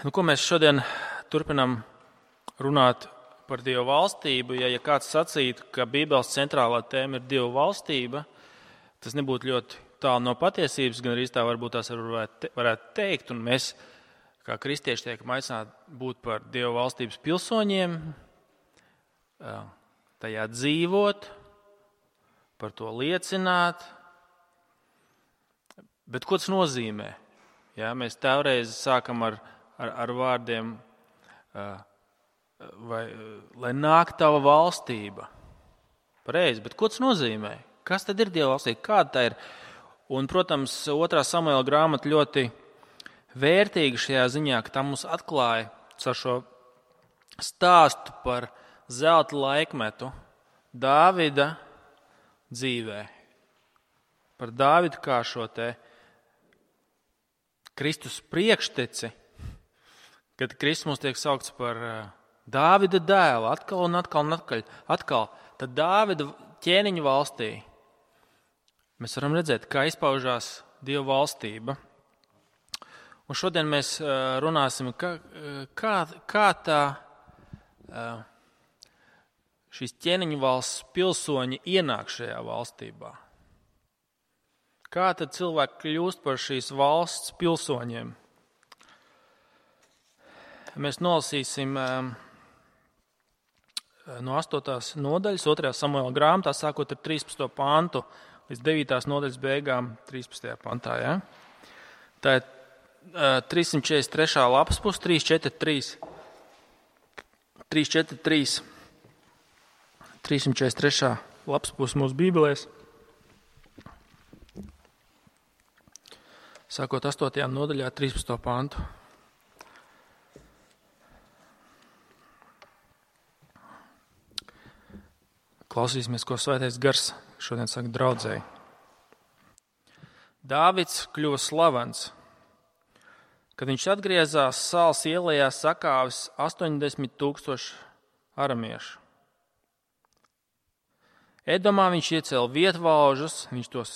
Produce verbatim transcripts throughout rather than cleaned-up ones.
Nu, ko mēs šodien turpinām runāt par Dievu valstību? Ja, ja kāds sacītu, ka Bībeles centrālā tēma ir Dievu valstība, tas nebūtu ļoti tālu no patiesības, gan arī tā varbūt tās varētu, varētu teikt. Un mēs, kā kristieši, tiekam aicināti būt par Dievu valstības pilsoņiem, tajā dzīvot, par to liecināt. Bet ko tas nozīmē? Ja, mēs tēvreiz sākam ar Ar, ar vārdiem, vai, lai nāk tava valstība. Pareizi, bet ko tas nozīmē? Kas tad ir Dieva valstība? Kāda tā ir? Un, protams, otrā Samuela grāmata ļoti vērtīga šajā ziņā, ka tā mums atklāja ar šo stāstu par zelta laikmetu Dāvida dzīvē. Par Dāvidu kā šo te Kristus priekšteci, kad Kristus mums tiek saukts par Dāvida dēlu, atkal un atkal un atkal, atkal, tad Dāvida ķēniņa valstī mēs varam redzēt, kā izpaužās Dieva valstība. Un šodien mēs runāsim, kā, kā, kā tā šīs ķēniņa valsts pilsoņi ienāk šajā valstībā. Kā tad cilvēki kļūst par šīs valsts pilsoņiem? Mēs nolasīsim no astotās nodaļas, otrajā Samuela grāmatā, sākot ar trīspadsmito pantu līdz devītās nodaļas beigām, trīspadsmitajā pantā. Ja? Tā ir trīssimt četrdesmit trešā lapas puse, trīs četrdesmit trīs. trīs četrdesmit trīs. trīssimt četrdesmit trešā lapas puse mūsu bībelēs. Sākot astotajā nodaļā, trīspadsmito pantu. Klausīsimies, ko Svētais Gars šodien saka draudzēji. Dāvids kļuva slavens. Kad viņš atgriezās Sāls ielējā, sakāvis astoņdesmit tūkstoši aramiešu. Edomā viņš iecēla vietvaužus, viņš tos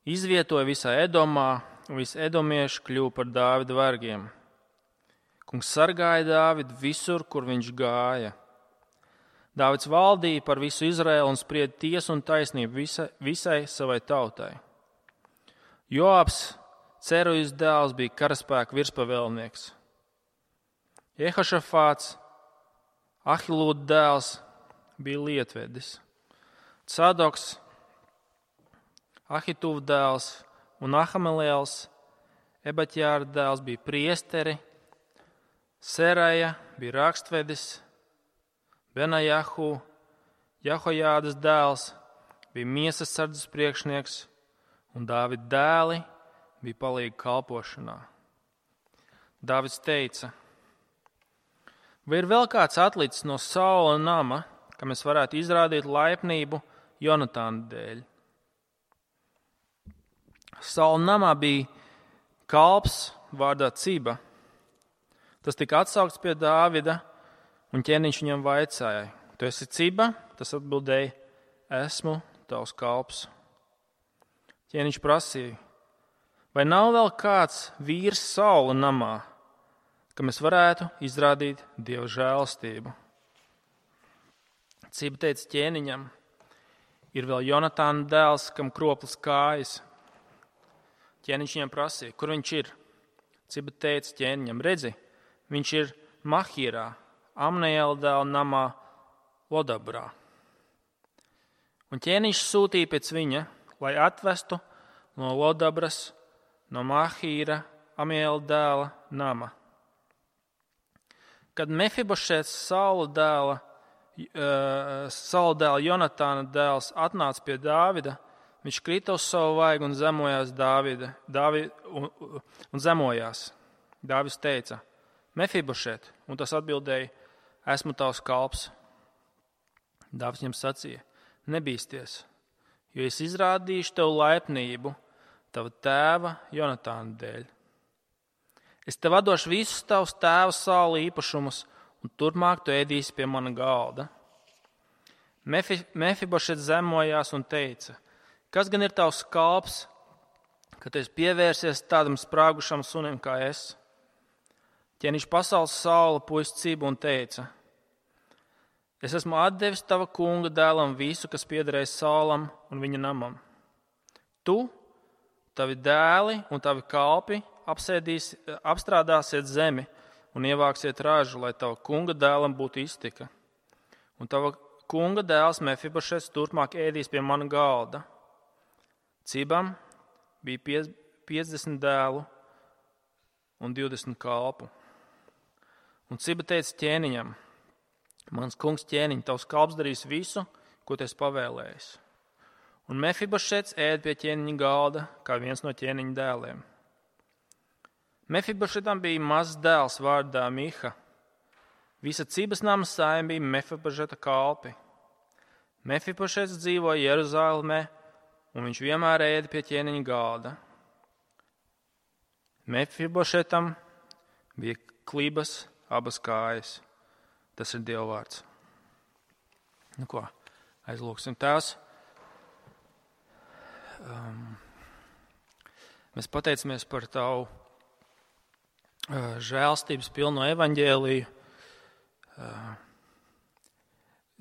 izvietoja visā Edomā, un visi edomieši kļuva par Dāvida vergiem. Kungs sargāja Dāvidu visur, kur viņš gāja. Dāvids valdīja par visu Izraēlu un sprieda tiesu un taisnību visai, visai savai tautai. Joabs, Cerujas dēls, bija karaspēka virspavēlnieks. Jehošafāts, Ahilūda dēls, bija lietvedis. Cadoks, Ahituva dēls un Ahamelēls, Ebatjāra dēls, bija priesteri. Seraja bija rakstvedis. Benajahu, Jahojādas dēls, bija miesas sardzes priekšnieks, un Dāvida dēli bija palīgi kalpošanā. Dāvids teica: vai ir vēl kāds atlicis no Saula nama, ka mēs varētu izrādīt laipnību Jonatāna dēļ? Saula namā bija kalps vārdā Ciba. Tas tika atsaukts pie Dāvida, un ķēniņš viņam vaicāja: tu esi Ciba? Tas atbildēja: esmu tavs kalps. Ķēniņš prasīja: vai nav vēl kāds vīrs Saula namā, ka mēs varētu izrādīt Dieva žēlastību? Ciba teica ķēniņam: ir vēl Jonatāna dēls, kam kroplis kājas. Ķēniņš viņam prasīja: kur viņš ir? Ciba teica ķēniņam: redzi, viņš ir Mahīrā, Amnejēla dēla namā Lodabrā. Un ķēniņš sūtīja pēc viņa, lai atvestu no Lodabras, no Mahīra, Amnejēla dēla nama. Kad Mefibošets, Saula dēla, uh, Saula dēla Jonatāna dēls, atnāca pie Dāvida, viņš krita uz savu vaigu un zemojās Dāvida, Dāvida un, un zemojās. Dāvids teica: Mefibošet, un tas atbildēja: esmu tavs kalps. Dāvids viņam sacīja: nebīsties, jo es izrādīšu tev laipnību tava tēva Jonatāna dēļ. Es tev atdošu visus tavus tēva Saula īpašumus, un turpmāk tu ēdīsi pie mana galda. Mefi, Mefibošets zemojās un teica: kas gan ir tavs kalps, ka tu esi pievērsies tādam sprāgušam sunim kā es? Ķēniņš pasaules Saula puisi Cibu un teica: Es esmu atdevis tava kunga dēlam visu, kas piederēja Saulam un viņa namam. Tu, tavi dēli un tavi kalpi apstrādāsiet zemi un ievāksiet ražu, lai tava kunga dēlam būtu iztika. Un tava kunga dēls Mefibošets turpmāk ēdīs pie mana galda. Cibam bija piecdesmit dēlu un divdesmit kalpu. Un Ciba teica ķēniņam: Mans kungs ķēniņ, tavs kalps darīs visu, ko tu esi pavēlējis. Un Mefibošets ēd pie ķēniņa galda, kā viens no ķēniņa dēliem. Mefibošetam bija mazs dēls vārdā Miha. Visa Cibas nama saime bija Mefibošeta kalpi. Mefibošets dzīvoja Jeruzālēmē, un viņš vienmēr ēda pie ķēniņa galda. Mefibošetam bija klibas abas kājas. Tas ir Dieva vārds. Nu ko, aizlūksim Tēvs. Um, mēs pateicamies par Tavu uh, žēlstības pilno evaņģēliju. Uh,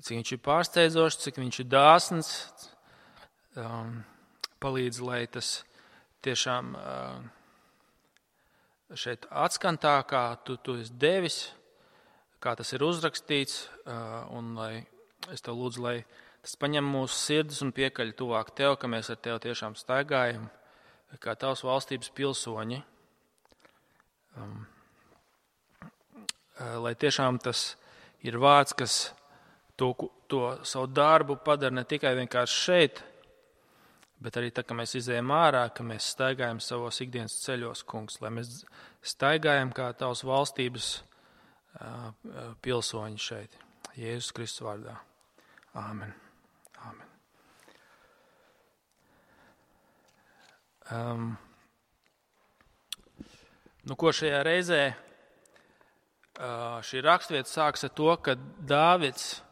cik viņš ir pārsteidzošs, cik viņš ir dāsns. Um, palīdz, lai tas tiešām uh, šeit atskan tā, kā tu, tu esi devis, kā tas ir uzrakstīts, un lai es tev lūdzu, lai tas paņem mūsu sirdis un piekaļ tuvāk tev, ka mēs ar tev tiešām staigājam, kā tavas valstības pilsoņi. Um, lai tiešām tas ir vārds, kas to, to savu darbu padara ne tikai vienkārši šeit, bet arī tā, ka mēs izējam ārā, ka mēs staigājam savos ikdienas ceļos, kungs, lai mēs staigājam kā tavas valstības pilsoņi šeit. Jēzus Kristus vārdā. Āmen. Āmen. Um, nu, ko šajā reizē uh, šī rakstvieta sāks ar to, ka Dāvids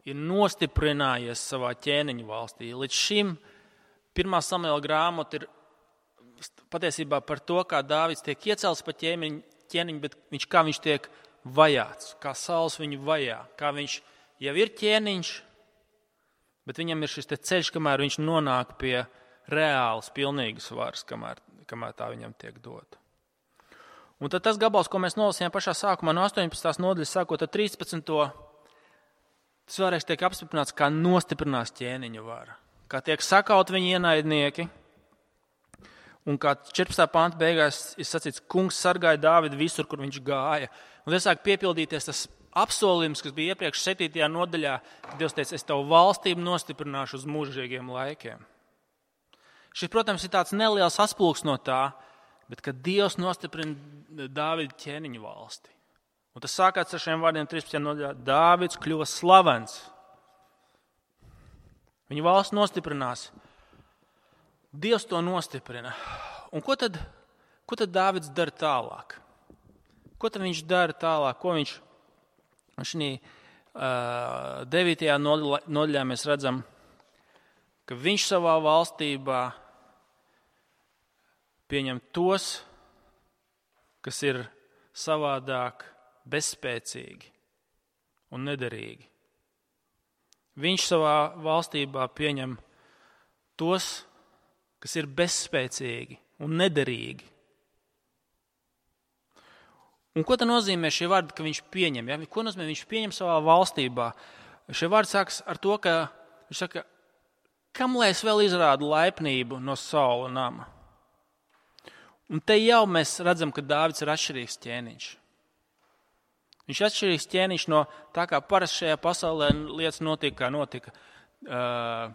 ir nostiprinājies savā ķēniņa valstī. Līdz šim pirmā Samuela grāmata ir patiesībā par to, kā Dāvids tiek iecelts pa ķēniņu, ķēniņu, bet viņš, kā viņš tiek vajāts, kā Sauls viņu vajā, kā viņš jau ir ķēniņš, bet viņam ir šis te ceļš, kamēr viņš nonāk pie reālas, pilnīgas varas, kamēr, kamēr tā viņam tiek dota. Un tad tas gabals, ko mēs nolasījām pašā sākumā no astoņpadsmitās nodaļas, sākot ar trīspadsmito tas vēlreiz tiek apstiprināts, kā nostiprinās ķēniņa vara, kā tiek sakaut viņa ienaidnieki, un kā četrpadsmitā panta beigās ir sacīts, kungs sargāja Dāvidu visur, kur viņš gāja. Un tas sāk piepildīties tas apsolījums, kas bija iepriekš septītajā nodaļā, kad Dievs teica, es tavu valstību nostiprināšu uz mūžīgiem laikiem. Šis, protams, ir tāds neliels atspulgs no tā, bet kad Dievs nostiprina Dāvida ķēniņa valsti. Un tas sākās ar šiem vārdiem trīspadsmitajā nodaļā. Dāvids kļuva slavens. Viņa valsts nostiprinās. Dievs to nostiprina. Un ko tad, ko tad Dāvids dara tālāk? Ko tad viņš dara tālāk? Ko viņš šī uh, devītajā nodaļā mēs redzam, ka viņš savā valstībā pieņem tos, kas ir savādāk bezspēcīgi un nederīgi. Viņš savā valstībā pieņem tos, kas ir bezspēcīgi un nederīgi. Un ko tad nozīmē šie vārdi, ka viņš pieņem? Ja? Ko nozīmē viņš pieņem savā valstībā? Šie vārdi sākas ar to, ka viņš saka, kam lai es vēl izrādu laipnību no Saula nama? Un te jau mēs redzam, ka Dāvids ir atšķirīgs ķēniņš. Viņš ir atšķirīgs ķēniņš no tā, kā parasti šajā pasaulē lietas notika, kā notika uh,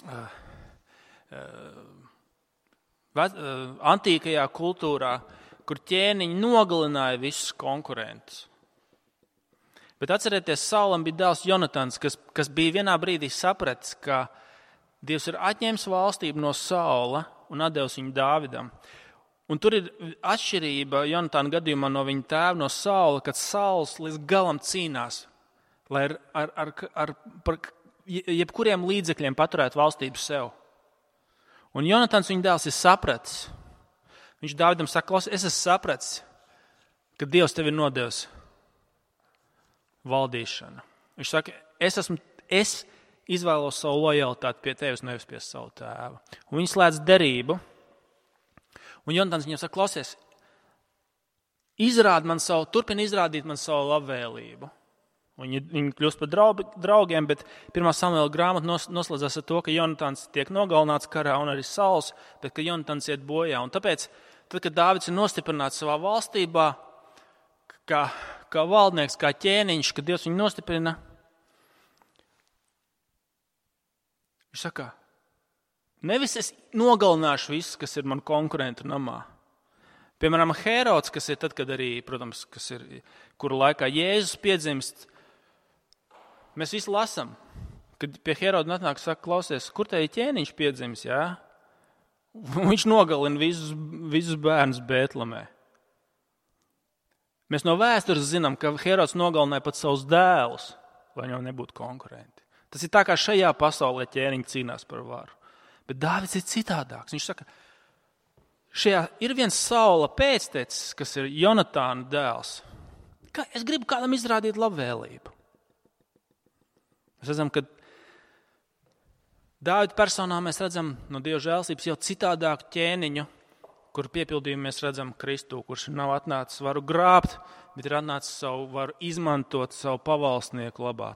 uh, antīkajā kultūrā, kur ķēniņi nogalināja visus konkurentus. Bet atcerieties, Saulam bija dēls Jonatans, kas, kas bija vienā brīdī sapratis, ka Dievs ir atņēmis valstību no Saula un atdevis viņu Dāvidam. Un tur ir atšķirība Jonatana gadījumā no viņa tēva, no Saula, kad Sauls līdz galam cīnās, lai ar, ar, ar, ar par jebkuriem līdzekļiem paturētu valstību sev. Un Jonatans, viņa dēls, ir sapratis. Viņš Dāvidam saka, es esmu sapratis, kad Dievs tevi ir nodevis valdīšanu. Viņš saka, es, esmu, es izvēlos savu lojalitāti pie tevis, nevis pie savu tēvu. Un viņi slēdz derību. Un Jonatans viņam saka, klausies, izrādi man savu, turpini izrādīt man savu labvēlību. Viņi, viņi kļūst par draugiem, bet pirmā Samuela grāmata nos, noslēdzas ar to, ka Jonatans tiek nogalināts karā un arī Sauls, bet ka Jonatans iet bojā. Un tāpēc, tad, kad Dāvids ir nostiprināts savā valstībā, kā, kā valdnieks, kā ķēniņš, kad Dievs viņu nostiprina, viņš saka, nevis es nogalināšu visus, kas ir man konkurenti namā. Piemēram, Hērods, kas ir tad, kad arī, protams, kas ir, kura laikā Jēzus piedzimst, mēs visi lasam, kad pie Hēroda atnāk, saka, klausies, kur te ir ķēniņš piedzimis, jā? Viņš nogalina visus, visus bērnus Bētlemē. Mēs no vēstures zinām, ka Hērods nogalināja pat savus dēlus, lai viņam nebūtu konkurenti. Tas ir tā, kā šajā pasaulē ķēniņi cīnās par varu. Bet Dāvids ir citādāks. Viņš saka, šajā ir viens Saula pēctecis, kas ir Jonatāna dēls. Kā, es gribu kādam izrādīt labvēlību. Mēs redzam, ka Dāvida personā mēs redzam no Dieva žēlstības jau citādāku ķēniņu, kur piepildījumu mēs redzam Kristu, kurš nav atnācis varu grābt, bet ir atnācis savu varu izmantot savu pavalsnieku labā,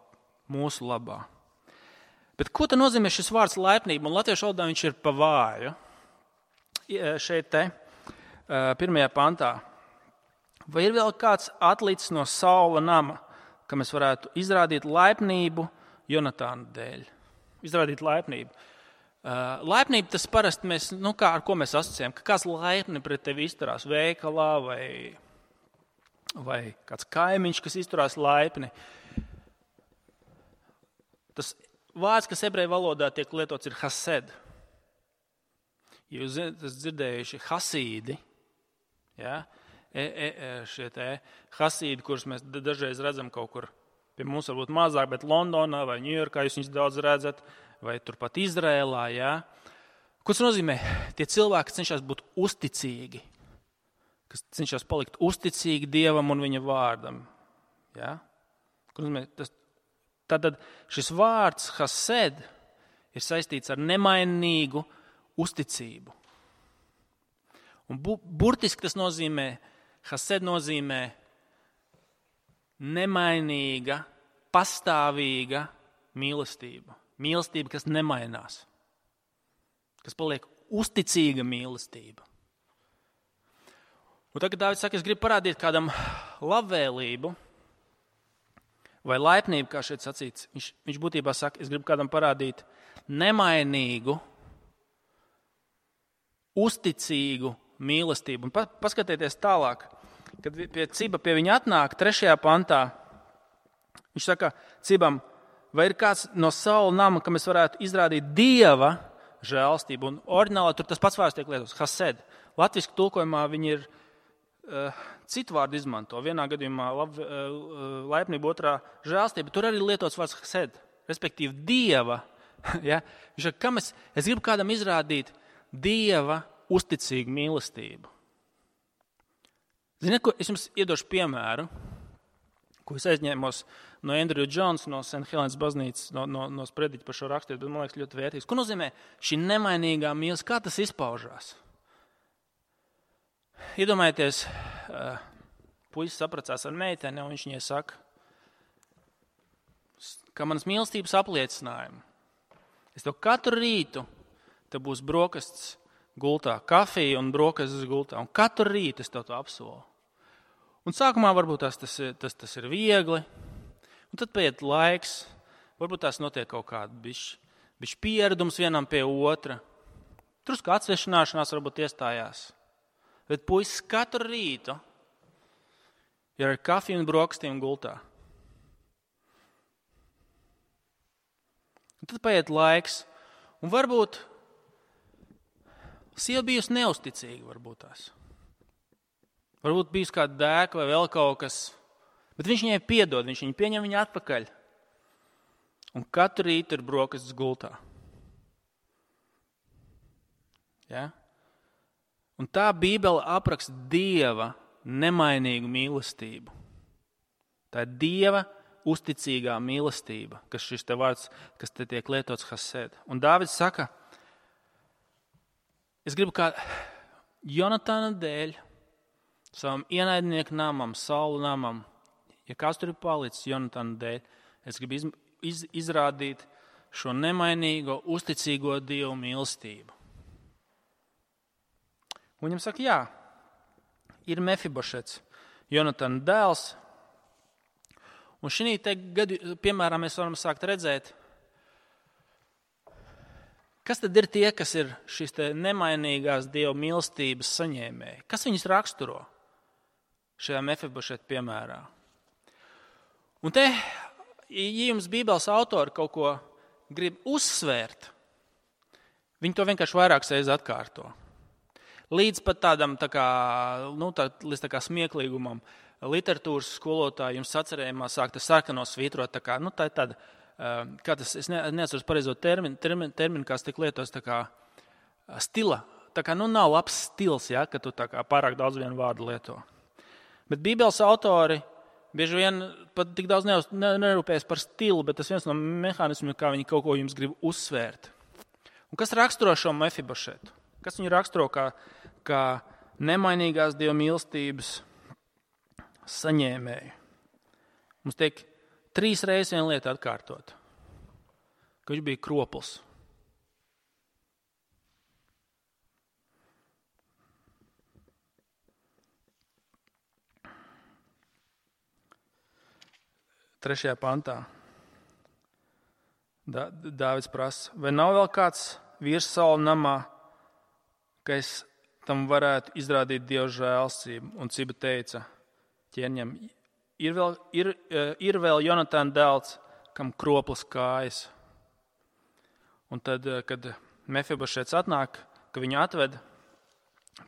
mūsu labā. Bet ko tad nozīmē šis vārds laipnība? Un latviešu valodā viņš ir pa vāju. Šeit te, pirmajā pantā. Vai ir vēl kāds atlicis no Saula nama, ka mēs varētu izrādīt laipnību Jonatāna dēļ? Izrādīt laipnību. Laipnība tas parasti mēs, nu kā, ar ko mēs asociējam, ka kāds laipni pret tevi izturās veikalā vai, vai kāds kaimiņš, kas izturās laipni. Tas vārds, kas ebreju valodā tiek lietots, ir hased. Jūs esat dzirdējuši hasīdi, ja? e, e, šie te hasīdi, kurus mēs dažreiz redzam kaut kur, pie mums varbūt mazāk, bet Londonā vai Ņujorkā jūs viņus daudz redzat, vai turpat Izrēlā. Ja? Ko tas nozīmē? Tie cilvēki, kas cenšas būt uzticīgi, kas cenšas palikt uzticīgi Dievam un viņa vārdam. Ja? Ko nozīmē? Tas, tātad šis vārds hased ir saistīts ar nemainīgu uzticību. Un bu, burtiski tas nozīmē, hased nozīmē nemainīga, pastāvīga mīlestība. Mīlestība, kas nemainās. Kas paliek uzticīga mīlestība. Un tagad Dāvids saka, es gribu parādīt kādam labvēlību vai laipnību, kā šeit sacīts. Viņš, viņš būtībā saka, es gribu kādam parādīt nemainīgu, uzticīgu mīlestību. Un pa, paskatieties tālāk, kad pie Ciba pie viņa atnāk trešajā pantā, viņš saka Cibam, vai ir kāds no Saula nama, ka mēs varētu izrādīt Dieva žēlstību. Un oriģinālā tur tas pats vārds tiek lietots, hased. Latviski tulkojumā viņi ir uh, citu vārdu izmanto. Vienā gadījumā lab, uh, laipnība, otrā žēlstība. Tur arī lietots vārds hased, respektīvi Dieva. Ja? Viņš saka, kam es, es gribu kādam izrādīt Dieva uzticīgu mīlestību. Ziniet, ko es jums iedošu piemēru, ko es aizņēmos no Andrew Jones, no Saint Helens baznīcas, no, no, no sprediķa par šo rakstīt, bet man liekas ļoti vērtīgs. Ko nozīmē šī nemainīgā mīlestība? Kā tas izpaužās? Iedomājieties, puisis sapracās ar meiteni, un viņš viņai saka, ka manas mīlestības apliecinājumu. Es tev katru rītu, te būs brokastis gultā, kafija un brokastis gultā, un katru rītu es tev to apsolu. Un sākumā varbūt tas, tas, tas, tas ir viegli, un tad paiet laiks, varbūt tās notiek kaut kāda bišķi, bišķi pieredums vienam pie otra. Drusku atsvešināšanās varbūt iestājās. Bet puisis katru rītu ir ar kafiju un brokastīm gultā. Un tad paiet laiks, un varbūt sieva bijusi neusticīga, varbūt tās. Varbūt bijusi kāda dēka vai vēl kaut kas, bet viņš viņai piedod, viņš viņu pieņem viņu atpakaļ. Un katru rītu ir brokastis gultā. Ja? Un tā Bībele apraksta Dieva nemainīgu mīlestību. Tā ir Dieva uzticīgā mīlestība, kas šis te vārds, kas te tiek lietots hased. Un Dāvids saka, es gribu kā Jonatana dēļ, savam ienaidnieku namam, Saula namam, ja kāds tur ir palicis Jonatana dēļ, es gribu iz, iz, izrādīt šo nemainīgo, uzticīgo Dievu mīlestību. Un viņam saka, jā, ir Mefibošets, Jonatana dēls. Un šī te gadu, piemēram, mēs varam sākt redzēt, kas tad ir tie, kas ir šīs te nemainīgās Dieva mīlestības saņēmēji? Kas viņus raksturo šajā Mefibošeta piemērā? Un te, ja jums Bībeles autori kaut ko grib uzsvērt, viņi to vienkārši vairākas reizes atkārto. Līdz pat tādam tā kā, nu, tā, līdz tā kā smieklīgumam. Literatūras skolotāji jums sacerējumā sāk tas sarkano svītrot, tā kā, nu, tā ir tāda, kā tas, es neatceros pareizo terminu, terminu, terminu kāds tik lietos, tā kā stila, tā kā, nu, nav labs stils, ja, ka tu tā kā pārāk daudz vienu vārdu lieto. Bet Bībeles autori bieži vien pat tik daudz nerūpējas par stilu, bet tas viens no mehānismiem, kā viņi kaut ko jums grib uzsvērt. Un kas raksturo šo Mefibošetu? Kas viņu raksturo kā, kā nemainīgās Dieva mīlestības saņēmēju? Mums tiek trīs reizes viena lieta atkārtot, ka viņš bija kropls. Trešajā pantā Dāvids prasa, vai nav vēl kāds vīrs Saula namā, ka es tam varētu izrādīt Dieva žēlstību? Un Ciba teica ķēniņam, ir vēl, ir, ir vēl Jonatana dēls, kam kroplas kājas. Un tad, kad Mefibošets atnāk, ka viņu atved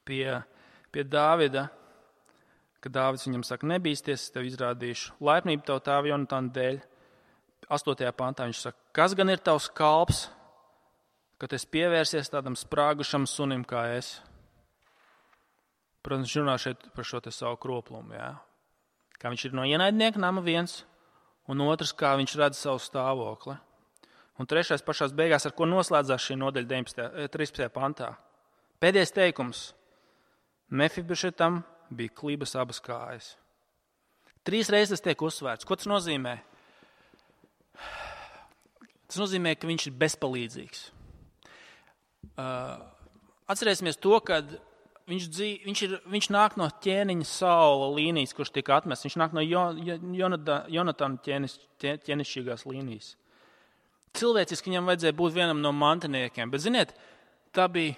pie, pie Dāvida, kad Dāvids viņam saka, nebīsties, tev izrādīšu laipnību tavu tēva Jonatana dēļ. Astotajā pantā viņš saka, kas gan ir tavs kalps, ka tu esi pievērsies tādam sprāgušam sunim kā es? Protams, viņš runā šeit par šo te savu kroplumu, jā. Kā viņš ir no ienaidnieka nama viens, un otrs, kā viņš redz savu stāvokli. Un trešais pašās beigās, ar ko noslēdzās šī nodaļa trīspadsmitajā pantā. Pēdējais teikums. Mefibošetam bija klibas abas kājas. Trīs reizes tiek uzsvērts. Ko tas nozīmē? Tas nozīmē, ka viņš ir bezpalīdzīgs. Uh, atcerēsimies to, ka viņš, dzīv, viņš, ir, viņš nāk no ķēniņa Saula līnijas, kurš tika atmests. Viņš nāk no Jonatana ķēnis, ķēnišķīgās līnijas. Cilvēciski viņam vajadzēja būt vienam no mantiniekiem, bet, ziniet, tā bija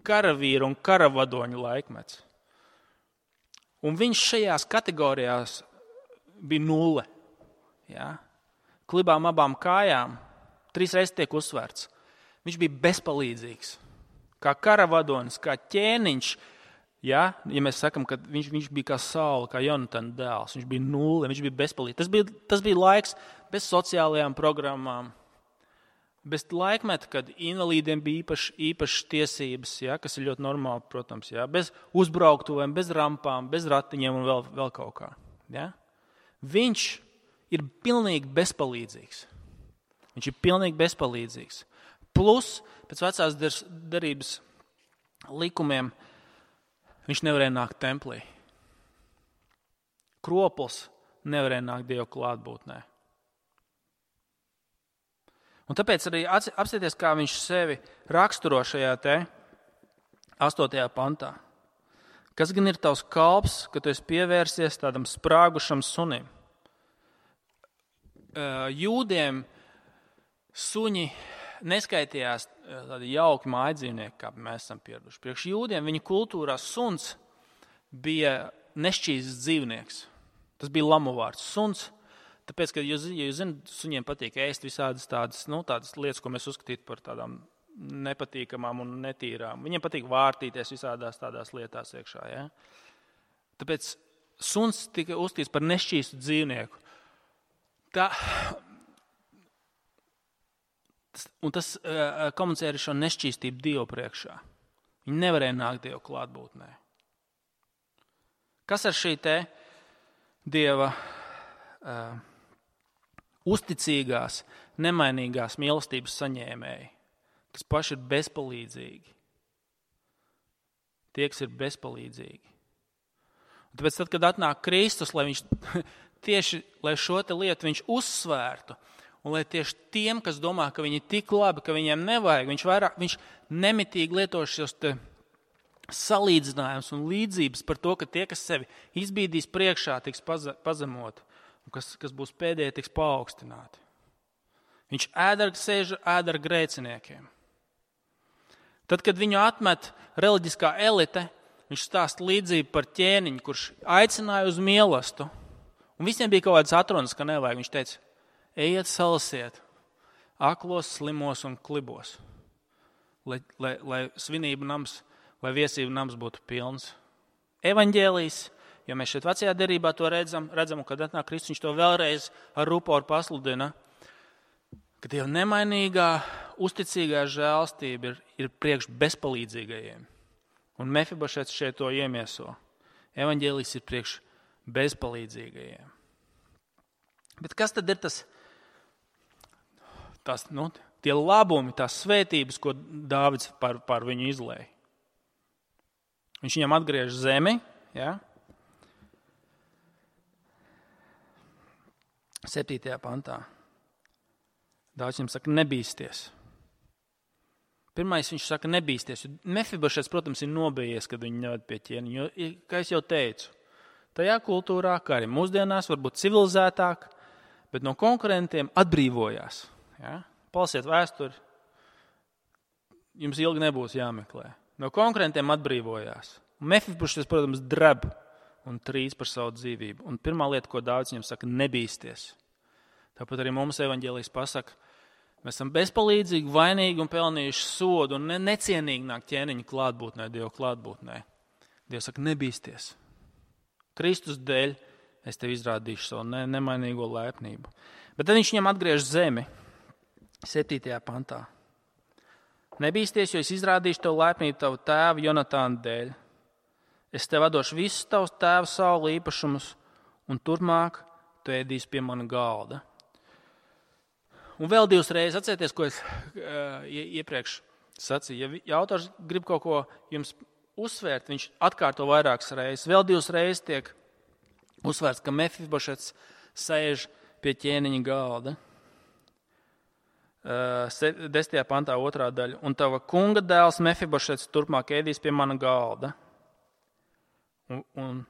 karavīru un karavadoņu laikmets. Un viņš šajās kategorijās bija nulle. Ja? Klibām abām kājām trīs reizes tiek uzsvērts. Viņš bija bezpalīdzīgs. Kā karavadonis, kā ķēniņš. Ja, ja mēs sakam, ka viņš, viņš bija kā Saula, kā Jonatana dēls. Viņš bija nulle, viņš bija bezpalīdzīgs. Tas bija, tas bija laiks bez sociālajām programmām. Bez laikmeta, kad invalīdiem bija īpaši, īpaši tiesības, ja, kas ir ļoti normāli, protams. Ja, bez uzbrauktuvēm, bez rampām, bez ratiņiem un vēl, vēl kaut kā. Ja. Viņš ir pilnīgi bezpalīdzīgs. Viņš ir pilnīgi bezpalīdzīgs. Plus, pēc vecās derības likumiem, viņš nevarēja nākt templī. Kropls nevarēja nākt Dieva klātbūtnē. Un tāpēc arī apsieties, kā viņš sevi raksturo šajā te astotajā pantā. Kas gan ir tavs kalps, ka tu esi pievērsies tādam sprāgušam sunim? Jūdiem suņi neskaitījās tādi jauki mājdzīvnieki, kā mēs esam pieraduši. Priekš jūdiem viņa kultūrā suns bija nešķīsts dzīvnieks. Tas bija lamu vārds. Suns, tāpēc, ka jūs, ja jūs zināt, suņiem patīk ēst visādas tādas, nu, tādas lietas, ko mēs uzskatītu par tādām nepatīkamām un netīrām. Viņiem patīk vārtīties visādās tādās lietās iekšā. Ja? Tāpēc suns tika uzskatīts par nešķīstu dzīvnieku. Tā, un tas uh, komunicē ar šo nešķīstību Dievu priekšā. Viņi nevarēja nākt Dievu klātbūtnē. Kas ar šī te Dieva uh, uzticīgās, nemainīgās mīlestības saņēmēji, kas paši ir bezpalīdzīgi? Tie, kas ir bezpalīdzīgi. Un tāpēc tad, kad atnāk Kristus, lai viņš tieši lai šo te lietu viņš uzsvērtu, un lai tieši tiem, kas domā, ka viņi ir tik labi, ka viņiem nevajag, viņš vairāk, viņš nemitīgi lieto šos te salīdzinājums un līdzības par to, ka tie, kas sevi izbīdīs priekšā, tiks pazemoti, un kas, kas būs pēdējie, tiks paaugstināti. Viņš ēdar sēž ēdar grēciniekiem. Tad, kad viņu atmet reliģiskā elite, viņš stāsta līdzību par ķēniņu, kurš aicināja uz mīlestību, un visiem bija kaut kāds atrunas, ka nevajag. Viņš teica, ejiet salasiet aklos, slimos un klibos, lai, lai, lai svinību nams, lai viesību nams būtu pilns. Evaņģēlijs, jo mēs šeit vecajā derībā to redzam, redzam, un kad atnāk Kristus, viņš to vēlreiz ar ruporu pasludina, ka Dieva nemainīgā, uzticīgā žēlstība ir, ir priekš bezpalīdzīgajiem. Un Mefibošets šeit to iemieso. Evaņģēlijs ir priekš bezpalīdzīgajiem. Bet kas tad ir tas, tas nu, tie labumi, tās svētības, ko Dāvids par, par viņu izlēja? Viņš viņam atgriež zemi, ja? septītajā pantā. Dāvids viņam saka, nebīsties. Pirmais viņš saka, nebīsties. Mefibošets, protams, ir nobijies, kad viņu neved pie ķēniņa. Jo, kā es jau teicu, tajā kultūrā, kā arī mūsdienās, varbūt civilizētāk, bet no konkurentiem atbrīvojās. Ja? Palasiet vēsturi, jums ilgi nebūs jāmeklē. No konkurentiem atbrīvojās. Mefibošets, protams, dreb un trīc par savu dzīvību. Un pirmā lieta, ko Dāvids viņam saka, nebīsties. Tāpat arī mums evaņģēlijs pasaka, mēs esam bezpalīdzīgi, vainīgi un pelnījuši sodu un ne, necienīgi nāk ķēniņa klātbūtnē, Dieva klātbūtnē. Dievs saka, nebīsties. Kristus dēļ es tev izrādīšu savu ne, nemainīgo lēpnību. Bet tad viņš viņam atgriež zemi, septītajā pantā. Nebīsties, jo es izrādīšu tev lēpnību tavu tēvu Jonatāna dēļ. Es tev atdošu visus tavus tēvu saulu īpašumus, un turpmāk tu ēdīsi pie mana galda. Un vēl divas reizes, atcerieties, ko es uh, iepriekš sacīju. Ja autors grib kaut ko jums uzsvērt, viņš atkārto vairākas reizes. Vēl divas reizes tiek uzsvērts, ka Mefibošets sēž pie ķēniņa galda. Uh, desmitajā pantā otrā daļa. Un tava kunga dēls Mefibošets turpmāk ēdīs pie mana galda. Un, un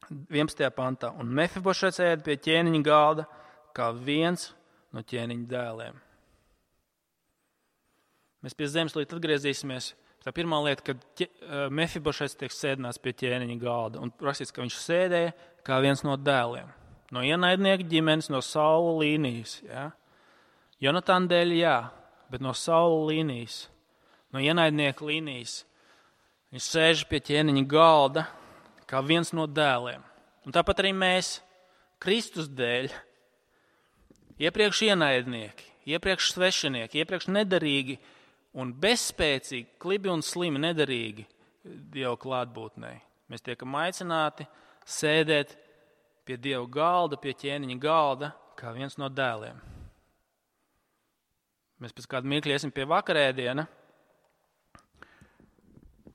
vienpadsmitajā pantā. Un Mefibošets ēd pie ķēniņa galda kā viens no ķēniņa dēliem. Mēs pie zemeslīdes atgriezīsimies. Tā pirmā lieta, kad ķe, Mefibošets tiek sēdināts pie ķēniņa galda. Un rakstīts, ka viņš sēdēja kā viens no dēliem. No ienaidnieka ģimenes, no Saula līnijas. Ja? Jonatāna dēļ, jā, bet no Saula līnijas, no ienaidnieka līnijas. Viņš sēž pie ķēniņa galda kā viens no dēliem. Un tāpat arī mēs, Kristus dēļ, iepriekš ienaidnieki, iepriekš svešinieki, iepriekš nedarīgi un bezspēcīgi, klibi un slimi nedarīgi Dieva klātbūtnē. Mēs tiekam aicināti sēdēt pie Dieva galda, pie ķēniņa galda, kā viens no dēliem. Mēs pēc kāda mirkļa iesim pie vakarēdiena.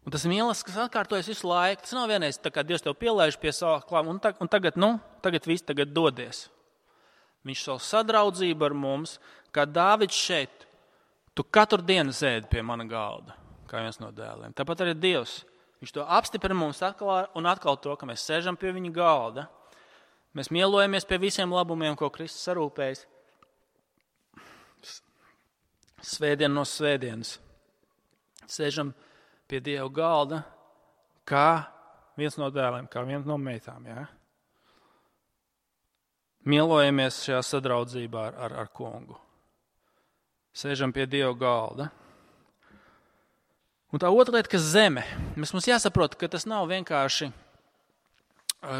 Un tas ir mīlestības, kas atkārtojas visu laiku. Tas nav vienreiz, tā kā Dievs tev pielaiž pie sava klāma, un, tag, un tagad, nu, tagad viss tagad dodies. Viņš savu sadraudzību ar mums, kā Dāvids šeit, tu katru dienu sēdi pie mana galda, kā viens no dēliem. Tāpat arī Dievs, viņš to apstiprina mums atkal un atkal to, ka mēs sēžam pie viņa galda. Mēs mielojamies pie visiem labumiem, ko Kristus sarūpējis. Svētdien no svētdienas. Sēžam pie Dieva galda, kā viens no dēliem, kā viens no meitām. Ja? Mielojamies šajā sadraudzībā ar, ar, ar kungu. Sēžam pie Dieva galda. Un tā otra lieta, kas zeme. Mēs mums jāsaprot, ka tas nav vienkārši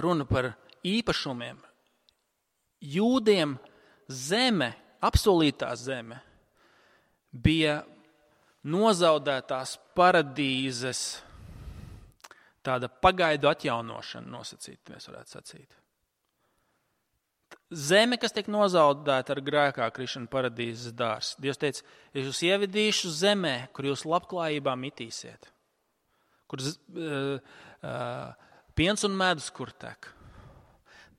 runa par īpašumiem. Jūdiem zeme, apsolītā zeme, bija nozaudētās paradīzes tāda pagaidu atjaunošana nosacīta, mēs varētu sacīt. Zeme, kas tiek nozaudēta ar grēkā krišanu paradīzes dārs. Dievs teica, es jūs ievedīšu zemē, kur jūs labklājībā mitīsiet. Kur uh, uh, piens un medus kur tek.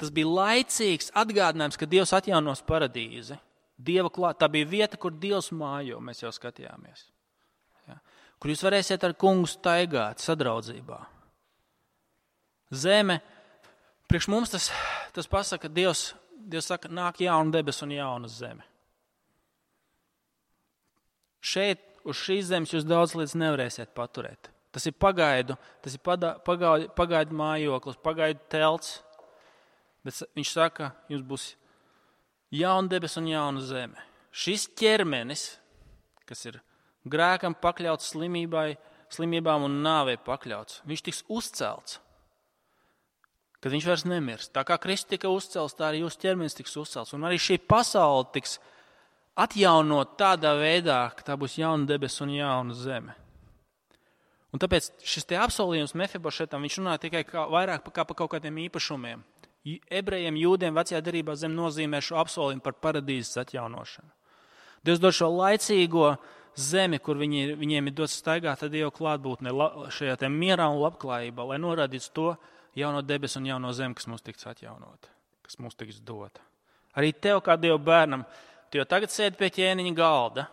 Tas bija laicīgs atgādinājums, ka Dievs atjaunos paradīzi. Dieva klāt, tā bija vieta, kur Dievs mājo, mēs jau skatījāmies. Ja? Kur jūs varēsiet ar kungu staigāt sadraudzībā. Zeme, priekš mums tas, tas pasaka, Dievs, Dievs saka, nāk jauna debes un jauna zeme. Šeit, uz šīs zemes jūs daudz lietas nevarēsiet paturēt. Tas ir pagaidu, tas ir padā, pagaidu, pagaidu mājoklis, pagaidu telts. Bet viņš saka, jums būs jauna debes un jauna zeme. Šis ķermenis, kas ir grēkam pakļauts slimībai, slimībām un nāvei pakļauts, viņš tiks uzcelts. Kad viņš vairs nemirst. Tā kā Kristus tika uzcelts, tā arī jūsu ķermenis tiks uzcelts. Un arī šī pasaule tiks atjaunot tādā veidā, ka tā būs jauna debes un jauna zeme. Un tāpēc šis te apsolījums Mefibošetam, viņš runā tikai kā, vairāk kā par kaut kādiem īpašumiem. Ebrejiem, jūdiem vecajā derībā zem nozīmē šo apsolījumu par paradīzes atjaunošanu. Dievs dod šo laicīgo zemi, kur viņi, viņiem ir dots staigāt ar Dievu klātbūtnē šajā te mierā un labklājībā, lai norādītu to jauno debesu un jauno zemi, kas mums tiks atjaunota, kas mums tiks dota. Arī tev, kā Dieva bērnam, tu jau tagad sēdi pie ķēniņa galda,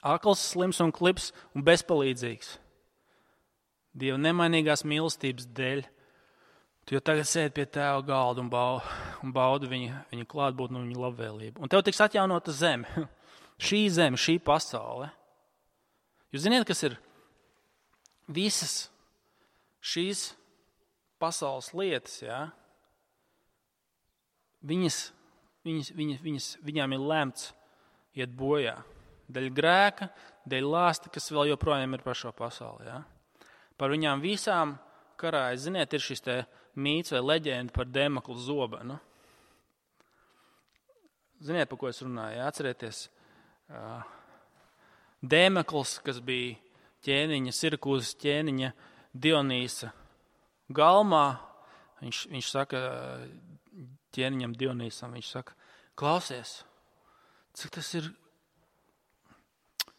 akls, slims un klips un bezpalīdzīgs. Dieva nemainīgās mīlestības dēļ, tu jau tagad sēdi pie tēva galda un baudi, un baudi viņa, viņa klātbūtni un viņa labvēlību. Un tev tiks atjaunota zeme, šī zeme, šī pasaule. Jūs ziniet, kas ir visas šīs pasaules lietas, jā? Viņas, viņas, viņas, viņas, viņām ir lemts iet bojā. Dēļ grēka, dēļ lāsta, kas vēl joprojām ir par šo pasauli. Jā? Par viņām visām karājas, ziniet, ir šis te mīts vai leģenda par Dēmekla zobenu. Ziniet, par ko es runāju? Jā? Atcerieties, Dēmekls, kas bija ķēniņa, Sirakūzes ķēniņa Dionīsa galmā, viņš, viņš saka ķēniņam Dionīsam, viņš saka, klausies, cik tas ir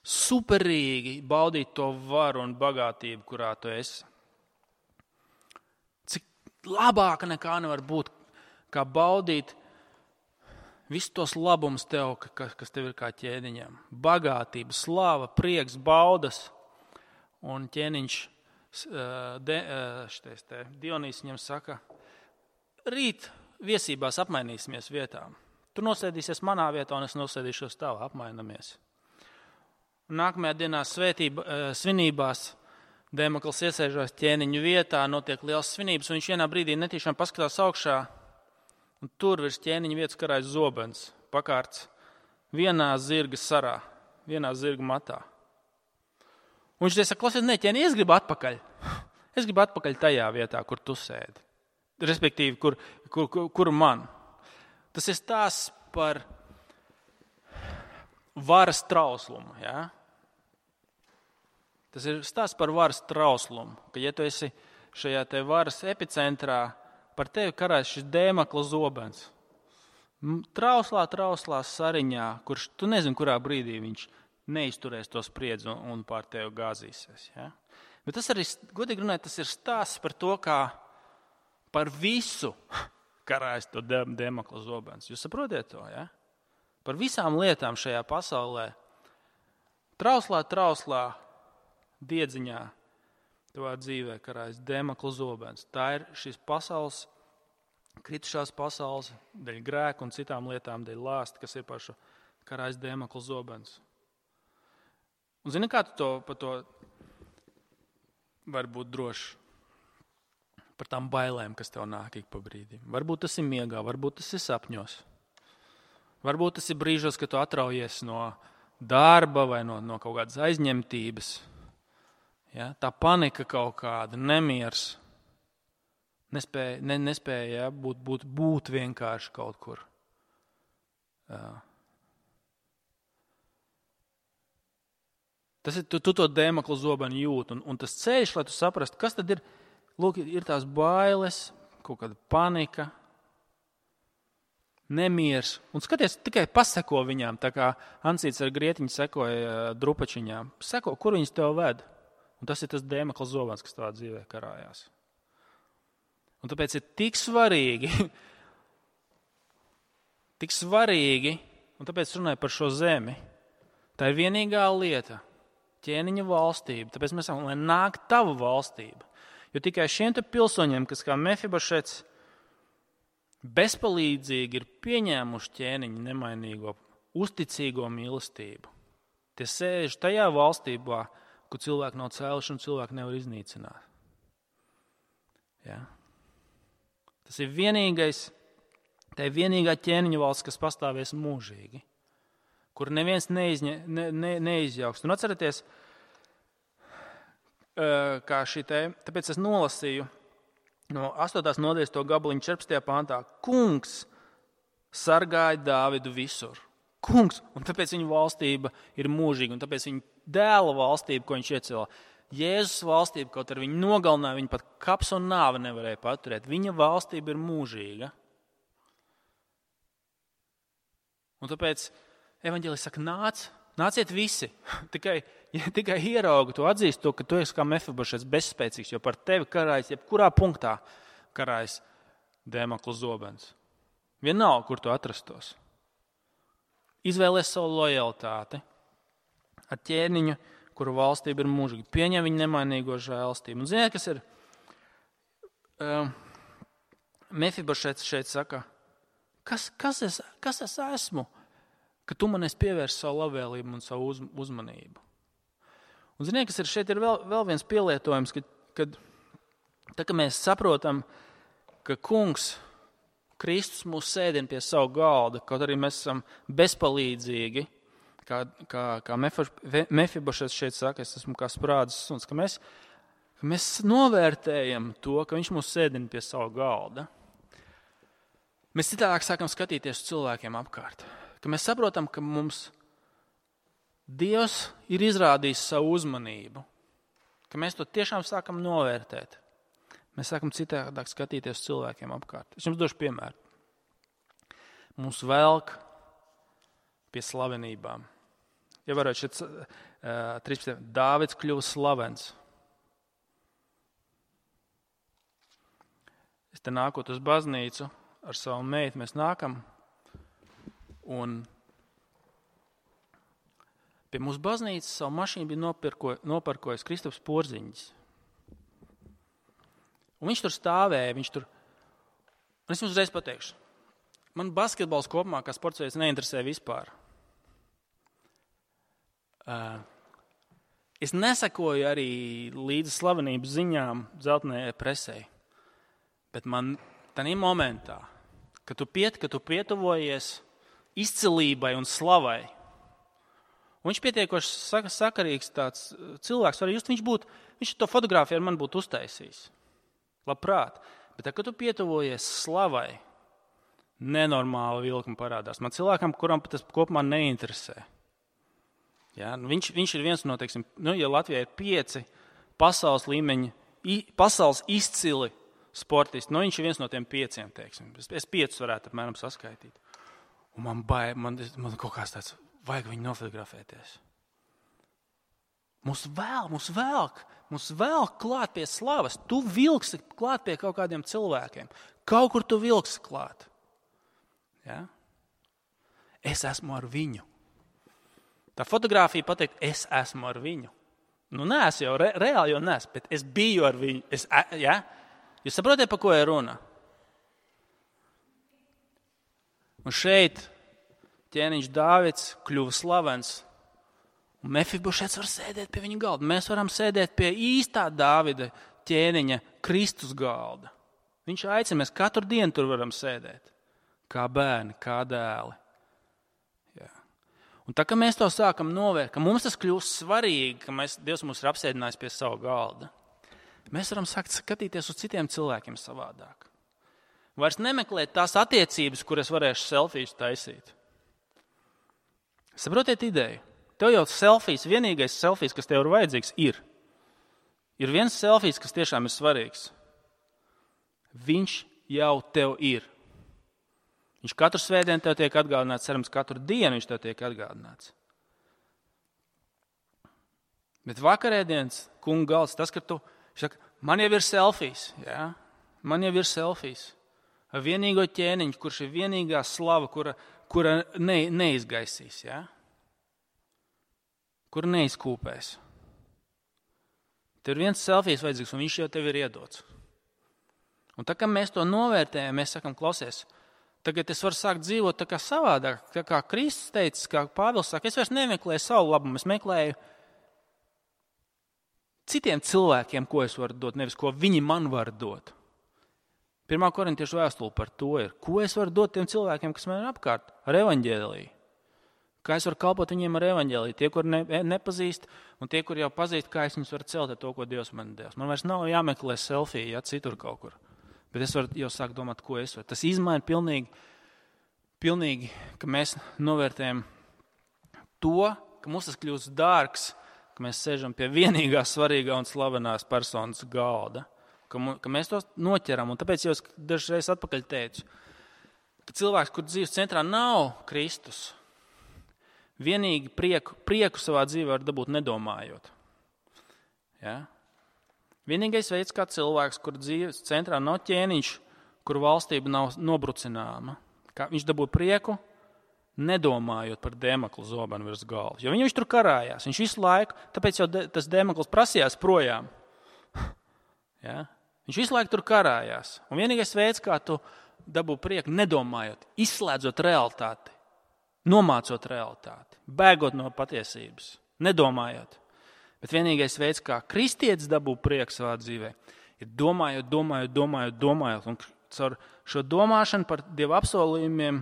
superīgi baudīt to varu un bagātību, kurā tu esi. Cik labāka nekā nevar būt, kā baudīt visus tos labumus tev, kas tev ir kā ķēniņam. Bagātība, slava, prieks, baudas un ķēniņš De, šitais te, Dionīs viņam saka, rīt viesībās apmainīsimies vietām. Tu nosēdīsies manā vietā un es nosēdīšos tavā, apmainamies. Un nākamajā dienā svētība, svinībās Dēmekls iesēžās ķēniņu vietā, notiek liels svinības, un viņš vienā brīdī netīšām paskatās augšā, un tur virs ķēniņa vietas karājas zobens, pakārts vienā zirga sarā, vienā zirga matā. Un viņš saka, klausies, ne, ķēni, es gribu atpakaļ. Es gribu atpakaļ tajā vietā, kur tu sēdi. Respektīvi, kur, kur, kur, kur man. Tas ir stāsts par varas trauslumu. Ja? Tas ir stāsts par varas trauslumu. Ka, ja tu esi šajā te varas epicentrā, par tevi karājas šis Dēmekla zobens. Trauslā, trauslā sariņā, kurš tu nezini, kurā brīdī viņš neizturēs to spriedzi un, un pār tevi gāzīsies. Ja? Bet tas arī, godīgi runājot, tas ir stāsts par to, kā par visu karājas to Dēmekla zobens. Jūs saprotiet to, ja? Par visām lietām šajā pasaulē. Trauslā, trauslā, diedziņā tavā dzīvē karājas Dēmekla zobens. Tā ir šīs pasaules, kritušās pasaules, dēļ grēka un citām lietām, dēļ lāsta, kas ir par šo karājas Dēmekla zobens. Un zini, kā tu to, par to var būt drošs? Par tām bailēm, kas tev nāk ik pa brīdim. Varbūt tas ir miegā, varbūt tas ir sapņos. Varbūt tas ir brīžos, kad tu atraujies no darba vai no, no kaut kādas aizņemtības. Ja? Tā panika kaut kāda, nemiers. Nespēja, ne, nespēja ja? būt, būt, būt vienkārši kaut kur. Jā. Tas ir, tu, tu to Dēmekla zobenu jūt, un, un tas ceļš, lai tu saprastu, kas tad ir lūk, ir tās bailes, kaut kāda panika, nemiers. Un skaties, tikai paseko viņām, tā kā Ansīts ar grietiņu sekoja drupačiņām. Seko, kur viņas tev ved? Un tas ir tas Dēmekla zobens, kas tavā dzīvē karājās. Un tāpēc ir tik svarīgi, tik svarīgi, un tāpēc runāju par šo zemi. Tā ir vienīgā lieta, ķēniņa valstība. Tāpēc mēs sakām, lai nāk tava valstība. Jo tikai šiem te pilsoņiem, kas kā Mefibošets bezpalīdzīgi ir pieņēmuši ķēniņa nemainīgo, uzticīgo mīlestību. Tie sēž tajā valstībā, kur cilvēki nav cēluši un cilvēki nevar iznīcināt. Ja? Tas ir vienīgais, tā ir vienīgā ķēniņa valsts, kas pastāvēs mūžīgi, kur neviens neizņa, ne, ne, neizjauks. Un atcerieties, kā šī te, tāpēc es nolasīju no astotās nodaļas to gabaliņu četrpadsmitajā pantā. Kungs sargāja Dāvidu visur. Kungs, un tāpēc viņa valstība ir mūžīga, un tāpēc viņa dēla valstība, ko viņš iecēlā. Jēzus valstība, kaut ar viņu nogalināja, viņa pat kaps un nāve nevarēja paturēt. Viņa valstība ir mūžīga. Un tāpēc evaņģēlis saka, nāc, nāciet visi. tikai, ja tikai ierauga to atzīst to, ka tu esi kā Mefibošets bezspēcīgs, jo par tevi karājas, jebkurā punktā karājas Dēmekla zobens. Vienalga, kur tu atrastos. Izvēlies savu lojalitāti ar ķēniņu, kuru valstība ir mūžīga. Pieņem viņa nemainīgo žēlstību. Un ziniet, kas ir? Uh, Mefibošets šeit saka, kas, kas, es, kas es esmu, ka tu man esi pievērst savu labvēlību un savu uz, uzmanību. Un ziniet, kas ir? Šeit ir vēl, vēl viens pielietojums, kad, kad tā, ka mēs saprotam, ka kungs Kristus mūs sēdina pie savu galda, kaut arī mēs esam bezpalīdzīgi, kā, kā, kā Mefibošets šeit saka, es esmu kā sprādzes suns, ka mēs, ka mēs novērtējam to, ka viņš mūs sēdina pie savu galda. Mēs citādāk sākam skatīties uz cilvēkiem apkārt, ka mēs saprotam, ka mums Dievs ir izrādījis savu uzmanību, ka mēs to tiešām sākam novērtēt. Mēs sākam citādāk skatīties uz cilvēkiem apkārt. Es jums došu piemēru. Mums velk pie slavenībām. Ja varētu šeit uh, trīspadsmit. Dāvids kļuva slavens. Es te nākot uz baznīcu ar savu meitu, mēs nākam un pie mūsu baznīcas savu mašīnu bija nopirko, noparkojis Kristaps Porziņģis. Un viņš tur stāvēja, viņš tur, un es jums uzreiz pateikšu, man basketbols kopumā kā sports veids neinteresē vispār. Uh, es nesakoju arī līdz slavenības ziņām dzeltenējai presei, bet man tādā momentā, kad tu, piet, kad tu pietuvojies izcilībai un slavai, un viņš pietiekoši sakarīgs tāds cilvēks, var just, viņš, būtu, viņš to fotogrāfiju ar mani būtu uztaisījis. Labprāt, bet tā, kad tu pietuvojies slavai, nenormāla vilkuma parādās. Man cilvēkam, kuram tas kopumā neinteresē. Ja? Viņš, viņš ir viens no, teiksim, nu, ja Latvijā ir pieci pasaules līmeņa, pasaules izcili sportisti, nu, viņš ir viens no tiem pieciem, teiksim. Es, es piecus varētu apmēram saskaitīt. Un man bail, man, man kaut kāds tāds, vajag viņu nofotografēties. Mums vēl, mums velk, mums velk klāt pie slavas. Tu vilksi klāt pie kaut kādiem cilvēkiem. Kaut kur tu vilksi klāt. Ja? Es esmu ar viņu. Tā fotogrāfija pateikt, es esmu ar viņu. Nu, neesmu jau, re, reāli jau neesmu, bet es biju ar viņu. Es, ja? Jūs saprotiet, pa ko ir runa? Un šeit ķēniņš Dāvids kļuva slavens. Un Mefibošets var sēdēt pie viņa galda. Mēs varam sēdēt pie īstā Dāvida ķēniņa Kristus galda. Viņš aicina, mēs katru dienu tur varam sēdēt. Kā bērni, kā dēli. Jā. Un tā, ka mēs to sākam novērt, ka mums tas kļūst svarīgi, ka mēs, Dievs mūs ir apsēdinājis pie savu galda, mēs varam sākt skatīties uz citiem cilvēkiem savādāk. Vairs nemeklēt tās attiecības, kuras varēšu selfijas taisīt. Saprotiet ideju? Tev jau selfijas, vienīgais selfijas, kas tev ir vajadzīgs, ir. Ir viens selfijas, kas tiešām ir svarīgs. viņš jau tev ir. Viņš katru svētdienu tev tiek atgādināts, cerams, katru dienu viņš tev tiek atgādināts. Bet vakarēdienas kunga galds, tas, ka tu, saka, man jau ir selfijas, jā? Man jau ir selfijas. Ar vienīgo ķēniņu, kurš ir vienīgā slava, kura, kura ne, neizgaisīs, jā? Kura neizkūpēs. Tev ir viens selfijas vajadzīgs, un viņš jau tev ir iedots. Un tā kā mēs to novērtējam, mēs sakam, klausies, tagad es varu sākt dzīvot tā kā savādāk, tā kā Kristus teica, kā Pāvils saka, es vairs nemeklēju savu labumu, es meklēju citiem cilvēkiem, ko es varu dot, nevis ko viņi man var dot. Pirmā korintiešu vēstule par to ir, ko es varu dot tiem cilvēkiem, kas man ir apkārt, ar evaņģēliju. Kā es varu kalpot viņiem ar evaņģēliju, tie, kur ne, nepazīst, un tie, kur jau pazīst, kā es viņus varu celt ar to, ko Dievs man devis. Man vairs nav jāmeklē selfija, ja citur kaut kur. Bet es varu jau sākt domāt, ko es varu. Tas izmaina pilnīgi, pilnīgi, ka mēs novērtējam to, ka mums tas kļūst dārgs, ka mēs sēžam pie vienīgā svarīgā un slavenās personas galda, ka, mu, ka mēs to noķeram. Un tāpēc jau es dažreiz atpakaļ teicu, ka cilvēks, kur dzīves centrā nav Kristus, vienīgi prieku, prieku savā dzīvē var dabūt nedomājot. Ja? Vienīgais veids, kā cilvēks, kur dzīves centrā nav ķēniņš, kur valstība nav nobrucināma, kā viņš dabū prieku, nedomājot par Dēmekla zobenu virs galvas. Jo viņš tur karājās, viņš visu laiku, tāpēc jau de, tas Dēmekls prasījās projām. Ja? Viņš visu laiku tur karājās. Un vienīgais veids, kā tu dabū prieku, nedomājot, izslēdzot realitāti, nomācot realitāti, bēgot no patiesības, nedomājot. Bet vienīgais veids, kā kristietis dabū prieku savā dzīvē, ir domājot, domājot, domājot, domājot. Un caur šo domāšanu par Dieva apsolījumiem,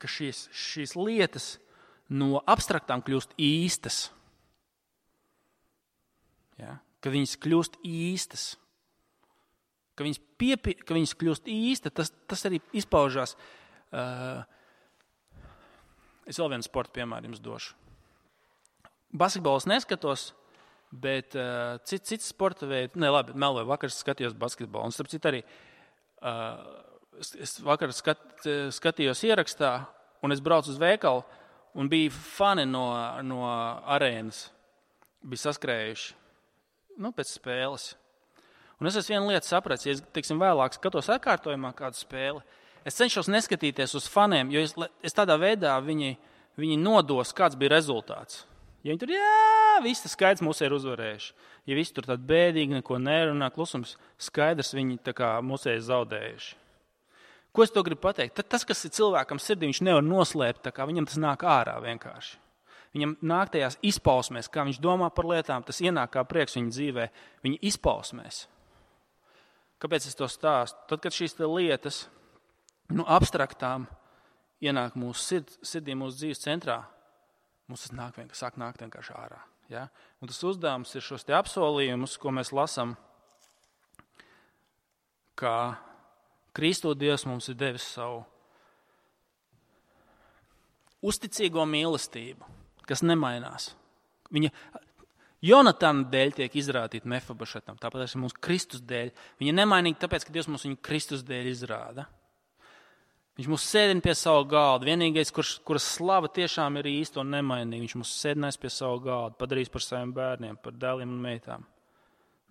ka šīs, šīs lietas no abstraktām kļūst īstas. Ja? Ka viņas kļūst īstas. Ka viņas, piepi, ka viņas kļūst īsta, tas, tas arī izpaužās. Uh, es vēl vienu sporta piemēru jums došu. Basketbols neskatos, bet uh, cits, cits sporta veidi, ne labi, meloju, vakar skatījos basketbolu. Un starp citu arī, uh, es vakar skat, skatījos ierakstā, un es braucu uz veikalu, un bija fani no, no arēnas, bija saskrējuši, nu, pēc spēles. Un es esmu vienu lietu sapratis, ja es, teiksim, vēlāk skatos atkārtojumā kādu spēli, es cenšos neskatīties uz faniem, jo es, es tādā veidā viņi, viņi nodos, kāds bija rezultāts. Ja viņi tur, jā, viss tas skaidrs mūs ir uzvarējuši. Ja visi tur tādi bēdīgi, neko nerunā, klusums skaidrs, viņi tā kā mūs ir zaudējuši. Ko es to gribu pateikt? Tas, kas ir cilvēkam sirdī, viņš nevar noslēpt, tā kā viņam tas nāk ārā vienkārši. Viņam nāk tajās izpausmēs, kā viņš domā par lietām, tas ienāk kā prieks viņa dzīvē, viņa izpausmēs. Kāpēc es to stāstu? Tad, kad šīs lietas, nu, abstraktām ienāk mūsu sird, sirdī, mūsu dzīves centrā, mums tas nāk vienkārši, sāk nākt vienkārši ārā. Ja? Un tas uzdevums ir šos te apsolījumus, ko mēs lasam, kā Kristu Dievs mums ir devis savu uzticīgo mīlestību, kas nemainās. Viņa Jonatana dēļ tiek izrādīta Mefibošetam, tāpat arī mums Kristus dēļ. Viņa nemainīga tāpēc, ka Dievs mums viņu Kristus dēļ izrāda. Viņš mūs sēdina pie savu galdu. Vienīgais, kurš, kuras slava tiešām ir īsta un nemainīga. Viņš mūs sēdinās pie savu galdu, padarīs par saviem bērniem, par dēliem un meitām.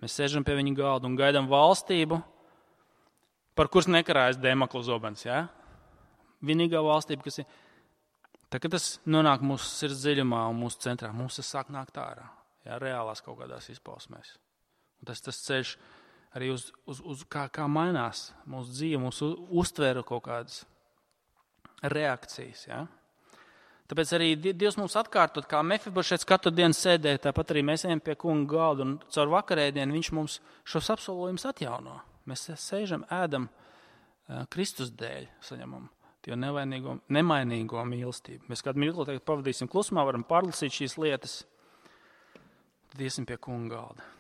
Mēs sēžam pie viņa galda un gaidām valstību, par kuras nekarājas Dēmekla zobens. Ja? Vienīgā valstība, kas ir. Tā, kad tas nonāk mūsu sirds dziļumā un mūsu centrā, mums tas sāk nākt ārā. Ja? Reālās kaut kādās izpausmēs. Un tas tas ceļš arī uz, uz, uz kā, kā mainās mūsu dzīve, mūsu uztvēra kaut kādas reakcijas. Ja? Tāpēc arī Dievs mums atkārtot, kā Mefibošets katru dienu sēdē, tāpat arī mēs ejam pie kunga galda un caur vakarēdienu viņš mums šos apsolījumus atjauno. Mēs sēžam, ēdam Kristus dēļ, saņemam tie nevainīgo, nemainīgo mīlestību. Mēs kādu mirkli tagad pavadīsim klusumā, varam pārlasīt šīs lietas, tad iesim pie kunga galda.